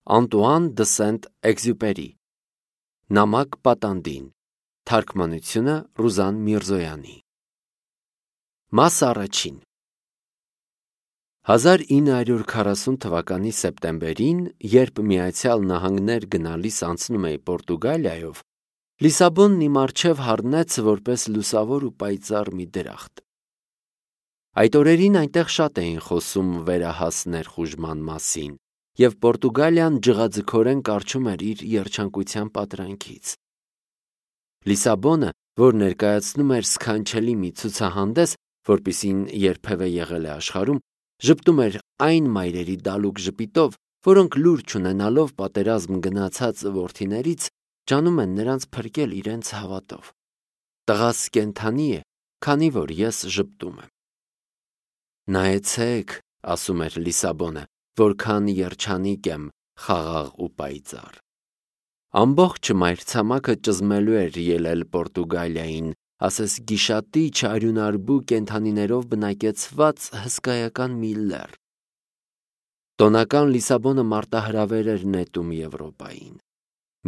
Անտուան դը Սենտ-Էքզյուպերի Նամակ պատանդին Թարգմանությունը Ռուզան Միրզոյանի Մաս առաջին 1940 թվականի սեպտեմբերին, երբ Միացյալ Նահանգներ գնալիս անցնում էի Պորտուգալիայով, Լիսաբոնն իմ առջև հառնեց որպես լուսավոր ու պայծառ մի դրախտ։ Այդ օրերին այնտեղ շատ էին խոսում վերահաս ներխուժման մասին, և Պորտուգալիան ջղաձգորեն կառչում էր իր երջանկության պատրանքից։ Լիսաբոնը, որ ներկայացնում էր սքանչելի մի ցուցահանդես, որպիսին երբևէ եղել է աշխարհում, ժպտում էր այն մայրերի դալուկ ժպիտով, որոնք լուր չունենալով պատերազմ գնացած որդիներից, ջանում են նրանց փրկել իրենց հավատով։ Տղաս կենդանի է, քանի որ ես ժպտում եմ։ Նայեցեք, ասում էր Լիսաբոնը, որքան երջանիկ եմ, խաղաղ ու պայծառ։ Ամբողջ մայրցամաքը ճզմելու էր ելել Պորտուգալիային, ասես գիշատիչ արյունարբու կենդանիներով բնակեցված հսկայական մի լեռ։ Տոնական Լիսաբոնը մարտահրավեր էր նետում Եվրոպային։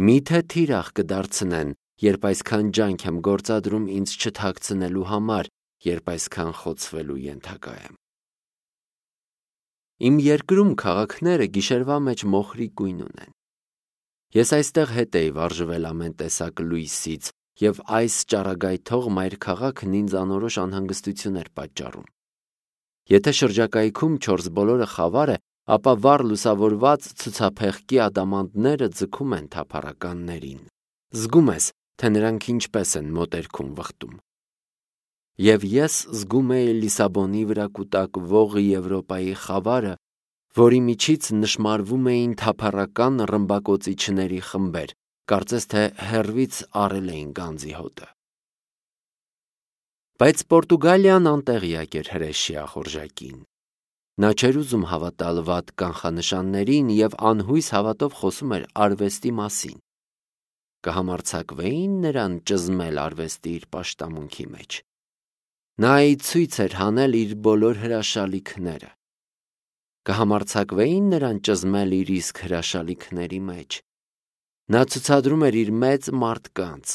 Միթե թիրախ կդարձնեն, երբ այսքան ջանք եմ գործադրում ինձ չթաքցնելու համար, երբ այսքան խոցվելու ենթակա եմ։ Իմ երկրում քաղաքները գիշերվա մեջ մոխրի գույն ունեն։ Ես այստեղ հետ էի վարժվել ամեն տեսակ լույսից, և այս ճառագայթող մայրքաղաքն ինձ անորոշ անհանգստություն էր պատճառում։ Եթե շրջակայքում չորսբոլորը խավար է, ապա վառ լուսավորված ցուցափեղկի ադամանդները ձգում են թափառականներին։ Զգում ես, թե նրանք ինչպես են մոտերքում վխտում։ Եվ ես զգում էի Լիսաբոնի վրա կուտակվող Եվրոպայի խավարը, որի միջից նշմարվում էին թափառական ռմբակոծիչների խմբեր, կարծես թե հեռվից առել էին գանձի հոտը։ Բայց Պորտուգալիան անտեղյակ էր հրեշի ախորժակին։ Նա չէր ուզում հավատալ վատ կանխանշաններին և անհույս հավատով խոսում էր արվեստի մասին։ Կհամարձակվեի՞ն նրան ճզմել արվեստի իր պաշտամունքի մեջ։ Նա ի ցույց էր հանել իր բոլոր հրաշալիքները։ Կհամարձակվեի՞ն նրան ճզմել իր իսկ հրաշալիքների մեջ։ Նա ցուցադրում էր իր մեծ մարդկանց,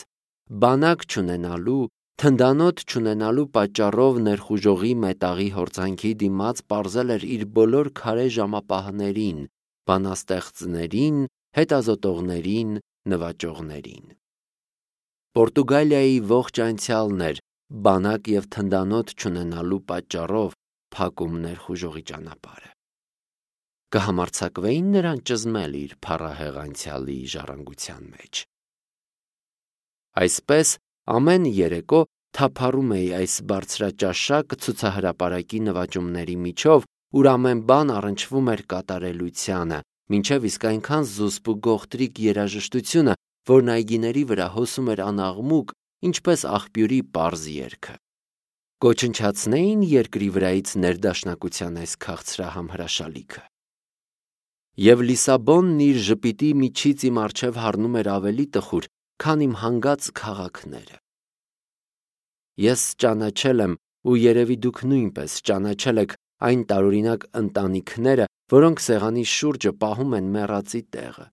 բանակ չունենալու, թնդանոթ չունենալու պատճառով ներխուժողի մետաղի հորձանքի դիմաց պարզել էր իր բոլոր քարե ժամապահներին, բանաստեղծներին, հետազոտողներին, նվաճողներին։ Պորտուգալիայի ողջ անցյալն էր բանակ և թնդանոթ չունենալու պատճառով փակում ներխուժողի ճանապարհը։ Կհամարձակվեի՞ն նրան ճզմել իր փառահեղ անցյալի ժառանգության մեջ։ Այսպես ամեն երեկո թափառում էի այս բարձրաճաշակ ցուցահրապարակի նվաճումների միջով, ուր ամեն բան առնչվում էր կատարելությանը, մինչև իսկ այնքան զուսպ ու գողտրիկ երաժշտությունը, որն այգիների վրա հոսում էր անաղմուկ, ինչպես աղբյուրի պարզ երգը։ Կոչնչացնեի՞ն երկրի վրայից ներդաշնակության այս քաղցրահամ հրաշալիքը։ Եվ Լիսաբոնն իր ժպիտի միջից իմ առջև հառնում էր ավելի տխուր, քան իմ հանգած քաղաքները։ Ես ճանաչել եմ, ու երևի դուք նույնպես ճանաչել եք այն տարօրինակ ընտանիքները, որոնք սեղանի շուրջը պահում են մեռածի տեղը։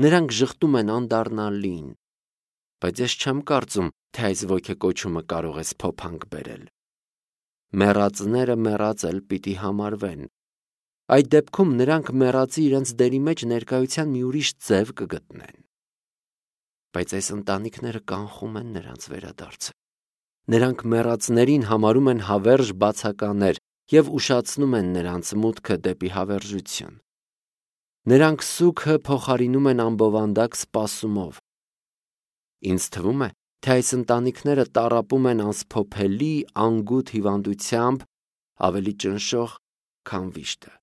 Նրանք ժխտում են անդառնալին, բայց ես չեմ կարծում, թե այս ոգեկոչումը կարող է սփոփանք բերել։ Մեռածները մեռած էլ պիտի համարվեն։ Այդ դեպքում նրանք մեռածի իրենց դերի մեջ ներկայության մի ուրիշ ձև կգտնեն։ Բայց այս ընտանիքները կանխում են նրանց վերադարձը։ Նրանք մեռածներին համարում են հավերժ բացականեր և ուշացնում են նրանց մուտքը դեպի հավերժություն։ Նրանք սուգը փոխարինում են ամբովանդակ սպասումով։ Ինձ թվում է, թե այս ընտանիքները տառապում են անսփոփելի, անգութ հիվանդությամբ, ավելի ճնշող, քան վիշտը։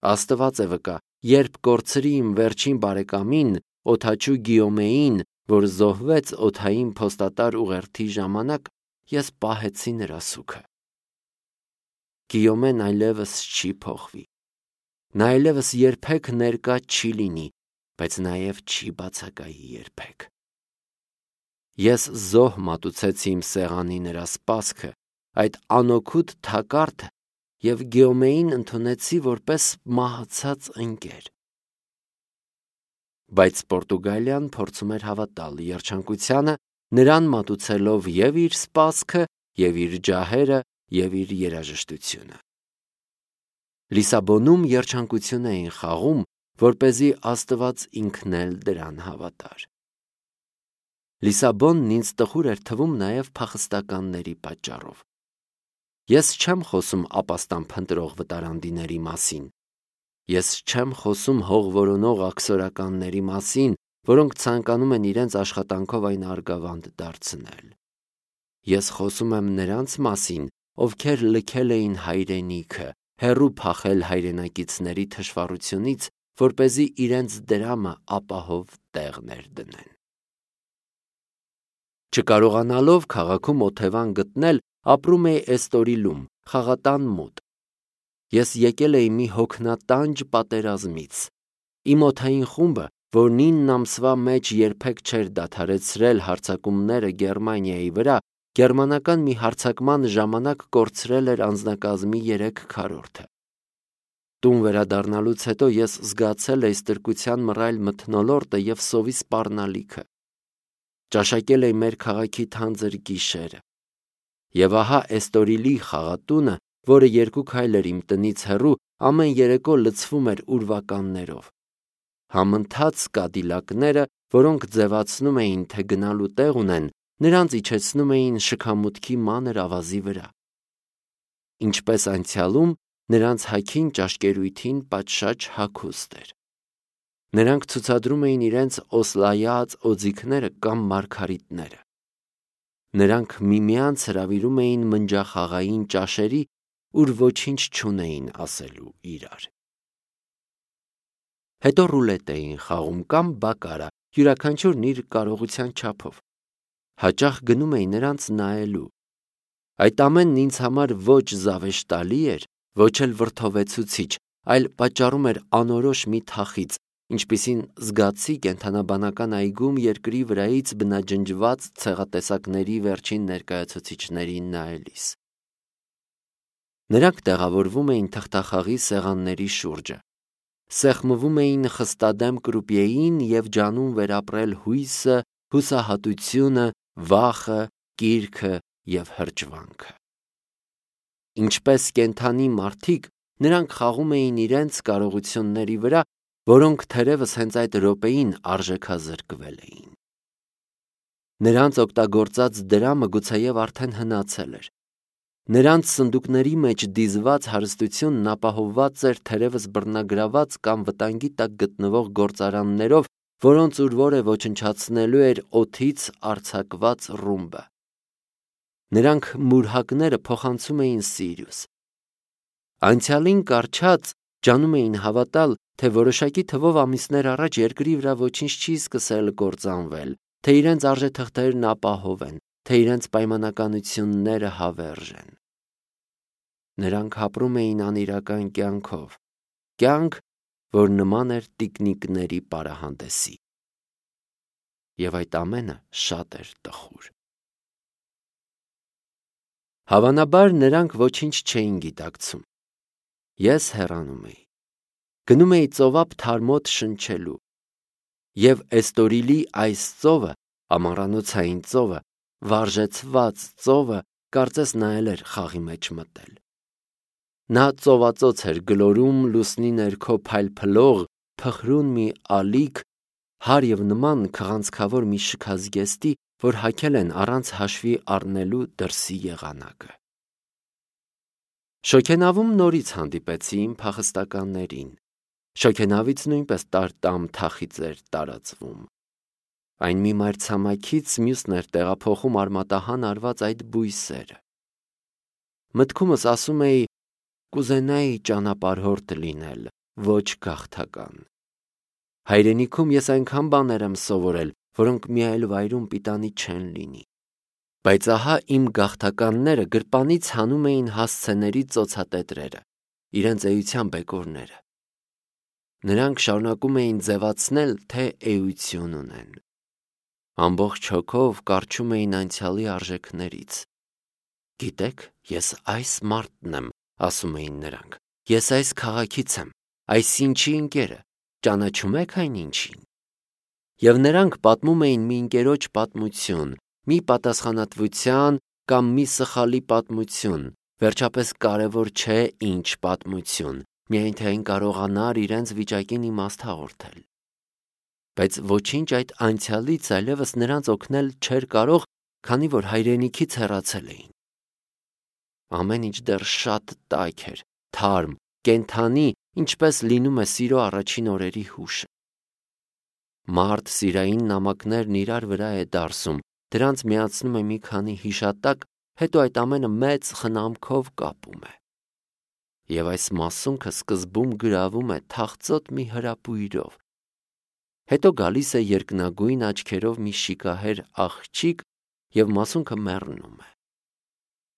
Աստված է վկա, երբ կորցրի իմ վերջին բարեկամին, օդաչու Գիյոմեին, որ զոհվեց օդային փոստատար ուղերձի ժամանակ, ես պահեցի նրա սուգը։ Գիյոմեն այլևս չի փոխվի։ Նա այլևս երբեք ներկա չի լինի, բայց նաև չի բացակայի երբեք։ Ես զոհ մատուցեցի իմ սեղանի նրա սպասքը, այդ անօգուտ թակարդը, և Գիոմեին ընդունեցի որպես մահացած ընկեր։ Բայց Պորտուգալիան փորձում էր հավատալ երջանկությանը, նրան մատուցելով և իր սպասքը, և իր ջահերը, և իր երաժշտությունը։ Լիսաբոնում երջանկություն էին խաղում, որպեսզի Աստված ինքն էլ դրան հավատար։ Լիսաբոնն ինձ տխուր էր թվում նաև փախստականների պատճառով։ Ես չեմ խոսում ապաստան փնտրող վտարանդիների մասին։ Ես չեմ խոսում հող որոնող աքսորականների մասին, որոնք ցանկանում են իրենց աշխատանքով այն արգավանդ դարձնել։ Ես խոսում եմ նրանց մասին, ովքեր լքել էին հայրենիքը, հեռու փախել հայրենակիցների թշվառությունից, որպեսզի իրենց դրամը ապահով տեղ ներդնեն։ Չկարողանալով քաղաքում օթևան գտնել, ապրում էի Էստորիլում, խաղատան մոտ։ Ես եկել էի մի հոգնատանջ պատերազմից։ Իմ օդային խումբը, որ 9 ամսվա մեջ երբեք չէր դադարեցրել հարձակումները Գերմանիայի վրա, գերմանական մի հարձակման ժամանակ կորցրել էր անձնակազմի 3/4-ը։ Տուն վերադառնալուց հետո ես զգացել էի ստրկության մռայլ մթնոլորտը և սովի սպառնալիքը։ Ճաշակել էի մեր քաղաքի թանձր գիշերը։ Եվ ահա Էստորիլի խաղատունը, որը 2 քայլ էր իմ տնից հեռու, ամեն երեկո լցվում էր ուրվականներով։ Համընթաց կադիլակները, որոնք ձևացնում էին, թե գնալու տեղ ունեն, նրանց իջեցնում էին շքամուտքի մանր ավազի վրա։ Ինչպես անցյալում, նրանց հագին ճաշկերույթին պատշաճ հագուստ էր։ Նրանք ցուցադրում էին իրենց օսլայած օձիքները կամ մարգարիտները։ Նրանք միմյանց հրավիրում էին մնջախաղային ճաշերի, ուր ոչինչ չունեին ասելու իրար։ Հետո ռուլետ էին խաղում կամ բակարա, յուրաքանչյուրն իր կարողության չափով։ Հաճախ գնում էի նրանց նայելու։ Այդ ամենն ինձ համար ոչ զավեշտալի էր, ոչ էլ վրդովեցուցիչ, այլ պատճառում էր անորոշ մի թախիծ, ինչպիսին զգացի կենդանաբանական այգում երկրի վրայից բնաջնջված ցեղատեսակների վերջին ներկայացուցիչներին նայելիս։ Նրանք տեղավորվում էին թղթախաղի սեղանների շուրջը, սեղմվում էին խստադեմ կրուպիեին և ջանում վերապրել հույսը, հուսահատությունը, վախը, կիրքը և հրճվանքը։ Ինչպես կենդանի մարդիկ, նրանք խաղում էին իրենց կարողությունների վրա, որոնք թերևս հենց այդ րոպեին արժեքազրկվել էին։ Նրանց օգտագործած դրամը գուցեև արդեն հնացել էր։ Նրանց սնդուկների մեջ դիզված հարստությունն ապահովված էր թերևս բռնագրաված կամ վտանգի տակ գտնվող գործարաններով, որոնց ուրվորը ոչնչացնելու էր օդից արձակված ռումբը։ Նրանք մուրհակները փոխանցում էին Սիրիուս։ Անցյալին կառչած ջանում էին հավատալ, թե որոշակի թվով ամիսներ առաջ երկրի վրա ոչինչ չի սկսել կործանվել, թե իրենց արժեթղթերն ապահով են, թե իրենց պայմանականությունները հավերժ են։ Նրանք ապրում էին անիրական կյանքով, կյանք, որ նման էր տիկնիկների պարահանդեսի։ Եվ այդ ամենը շատ էր տխուր։ Հավանաբար նրանք ոչինչ չէին գիտակցում։ Ես հեռանում էի։ Գնում էի ծովափ թարմոտ շնչելու։ Եվ Էստորիլի այս ծովը, ամառանոցային ծովը, վարժեցված ծովը, կարծես նայել էր խաղի մեջ մտել։ Նա ծովածոց էր գլորում լուսնի ներքո փայլփլող, փխրուն մի ալիք, հար և նման քղանցքավոր մի շքազգեստի, որ հագել են առանց հաշվի առնելու դրսի եղանակը։ Շոգենավում նորից հանդիպեցի իմ փախստականներին։ Շոգենավից նույնպես տարտամ թախիծ էր տարածվում։ Այն մի մայրցամաքից մյուսն էր տեղափոխում արմատահան արված այդ բույսերը։ Մտքումս ասում էի, կուզենայի ճանապարհորդ լինել, ոչ գաղթական։ Հայրենիքում ես այնքան բաներ եմ սովորել, որոնք մի այլ վայրում պիտանի չեն լինի։ Բայց ահա իմ գաղթականները գրպանից հանում էին հասցեների ծոցատետրերը, իրենց էության բեկորները։ Նրանք շարունակում էին ձևացնել, թե էություն ունեն։ Ամբողջ հոգով կառչում էին անցյալի արժեքներից։ Գիտեք, ես այս մարդն եմ, ասում էին նրանք, ես այս քաղաքից եմ, այս ինչի ընկերը, ճանաչում եք այն ինչին։ Եվ նրանք պատմում էին մի ընկերոջ պատմություն, մի պատասխանատվության կամ մի սխալի պատմություն, վերջապես կարևոր չէ ինչ պատմություն, միայն թե այն կարողանար իրենց վիճակին իմաստ հաղորդել։ Բայց ոչինչ այդ անցյալից այլևս նրանց օգնել չէր կարող, քանի որ հայրենիքից հեռացել էին։ Ամեն ինչ դեռ շատ տաք էր, թարմ, կենդանի, ինչպես լինում է սիրո առաջին օրերի հուշը։ Մարդ սիրային նամակներն իրար վրա է դարսում, դրանց միացնում է մի քանի հիշատակ, հետո այդ ամենը մեծ խնամքով կապում է։ Եվ այս մասունքը սկզբում գրավում է թախծոտ մի հրապույրով։ Հետո գալիս է երկնագույն աչքերով մի շիկահեր աղջիկ և մասունքը մեռնում է։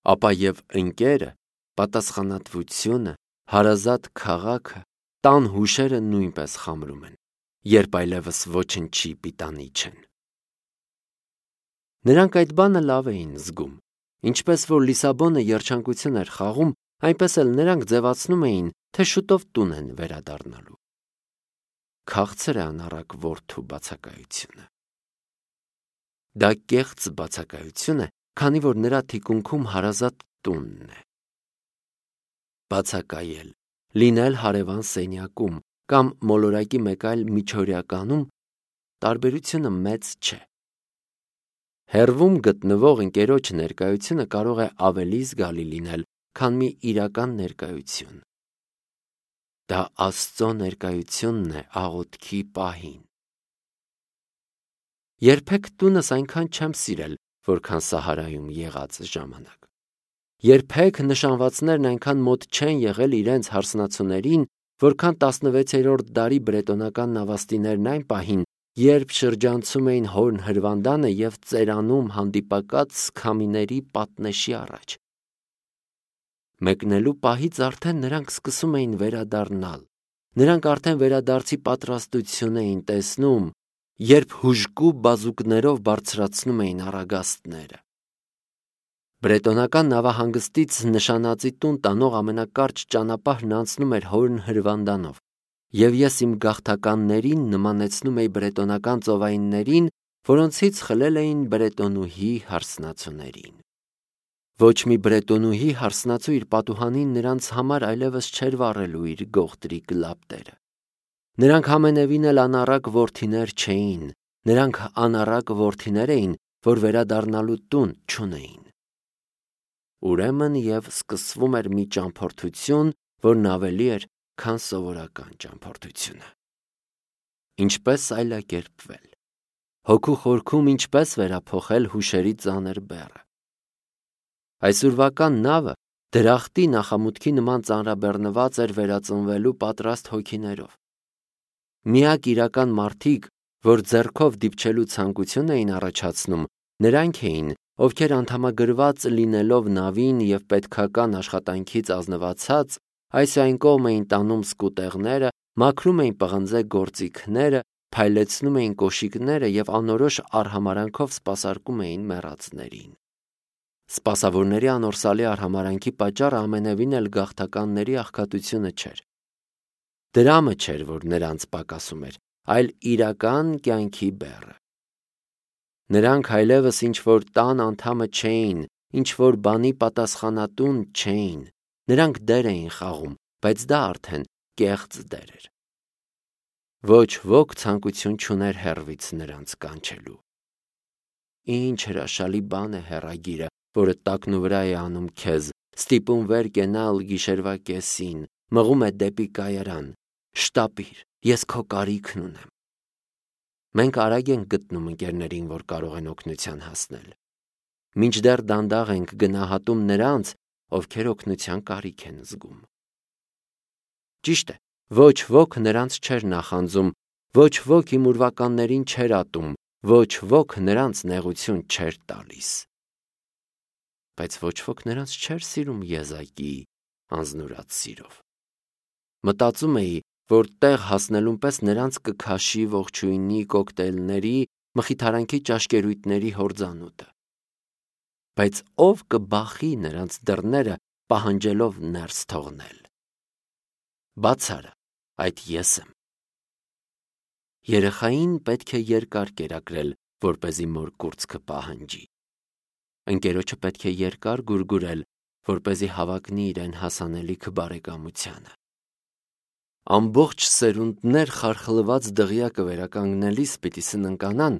Ապա և ընկերը, պատասխանատվությունը, հարազատ քաղաքը, տան հուշերը նույնպես խամրում են, երբ այլևս ոչնչի պիտանի չեն։ Նրանք այդ բանը լավ էին զգում, ինչպես որ Լիսաբոնը երջանկություն էր խաղում, այնպես էլ նրանք ձևացնում էին, թե շուտով տուն են վերադառնալու։ Քաղցր է անառակ որդու բացակայությունը։ Դա կեղծ բացակայություն է, քանի որ նրա թիկունքում հարազատ տունն է։ Բացակայել, լինել հարևան սենյակում կամ մոլորակի մեկ այլ միջօրյականում տարբերությունը մեծ չէ։ Հեռվում գտնվող ընկերոջ ներկայությունը կարող է ավելի զգալի լինել, քան մի իրական ներկայություն։ Դա Աստծո ներկայությունն է աղոթքի պահին։ Երբեք տունս այնքան չեմ սիրել, որքան Սահարայում եղած ժամանակ։ Երբեք նշանվածներն այնքան մոտ չեն եղել իրենց հարսնացուներին, որքան 16-րդ դարի բրետոնական նավաստիներն այն պահին, երբ շրջանցում էին հորն հրվանդանը և ծերանում հանդիպակաց քամիների պատնեշի առաջ։ Մեկնելու պահից արդեն նրանք սկսում էին վերադառնալ։ Նրանք արդեն վերադարձի պատրաստություն էին տեսնում, երբ հուժկու բազուկներով բարձրացնում էին առագաստները։ Բրետոնական նավահանգստից նշանածի տուն տանող ամենակարճ ճանապարհն անցնում էր հորն հրվանդանով, և ես իմ գաղթականներին նմանեցնում էի բրետոնական ծովայիններին, որոնցից խլել էին բրետոնուհի հարսնացուներին։ Ոչ մի բրետոնուհի հարսնացու իր պատուհանին նրանց համար այլևս չէր վառելու իր գողտրիկ լապտերը։ Նրանք ամենևին էլ անառակ որդիներ չէին, նրանք անառակ որդիներ էին, որ վերադառնալու տուն չունեին։ Ուրեմն և սկսվում էր մի ճամփորդություն, որն ավելի էր, քան սովորական ճամփորդությունը։ Ինչպես այլակերպվել։ Հոգու խորքում ինչպես վերափոխել հուշերի ծանր բեռը։ Այսօրվական նավը դրախտի նախամուտքի նման ծանրաբեռնված էր վերածնվելու պատրաստ հոգիներով։ Միակ իրական մարդիկ, որ ձեռքով դիպչելու ցանկություն էին առաջացնում, նրանք էին, ովքեր անդամագրված լինելով նավին և պետքական աշխատանքից ազնվացած, այս ու այն կողմ էին տանում սկուտեղները, մաքրում էին պղնձե գործիքները, փայլեցնում էին կոշիկները և անորոշ արհամարանքով սպասարկում էին մեռածներին։ Սպասավորների անորսալի արհամարանքի պատճառը ամենևին էլ գաղթականների աղքատությունը չէր։ Դրամը չէր, որ նրանց պակասում էր, այլ իրական կյանքի բեռը։ Նրանք այլևս ինչ-որ տան անդամը չէին, ինչ-որ բանի պատասխանատուն չէին։ Նրանք դեր էին խաղում, բայց դա արդեն կեղծ դեր էր։ Ոչ ոք ցանկություն չուներ հեռվից նրանց կանչելու։ Ինչ հրաշալի բան է հեռագիրը, որը տակնուվրա է անում քեզ, ստիպում վեր կենալ գիշերվա կեսին, մղում է դեպի կայարան։ Շտապիր, ես քո կարիքն ունեմ։ Մենք արագ ենք գտնում ընկերներին, որ կարող են օգնության հասնել։ Մինչդեռ դանդաղ ենք գնահատում նրանց, ովքեր օգնության կարիք են զգում։ Ճիշտ է, ոչ ոք նրանց չէր նախանձում, ոչ ոք իմ ուրվականներին չէր ատում, ոչ ոք նրանց նեղություն չէր տալիս։ Բայց ոչ ոք նրանց չէր սիրում եզակի անձնուրաց սիրով։ Մտածում էի, որ տեղ հասնելուն պես նրանց կքաշի ողջույնի կոկտեյլների, մխիթարանքի ճաշկերույթների հորձանուտը։ Բայց ով կբախի նրանց դռները, պահանջելով ներս թողնել։ Բացարա, այդ ես եմ։ Երեխային պետք է երկար կերակրել, որպեսզի մոր կուրծքը պահանջի։ Ընկերոջը պետք է երկար գուրգուրել, որպեսզի հավակնի իրեն հասանելիքը բարեկամությանը։ Ամբողջ սերունդներ խարխլված դղյակը վերականգնելիս պիտի սննկանան,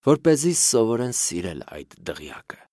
որպեսզի սովորեն սիրել այդ դղյակը։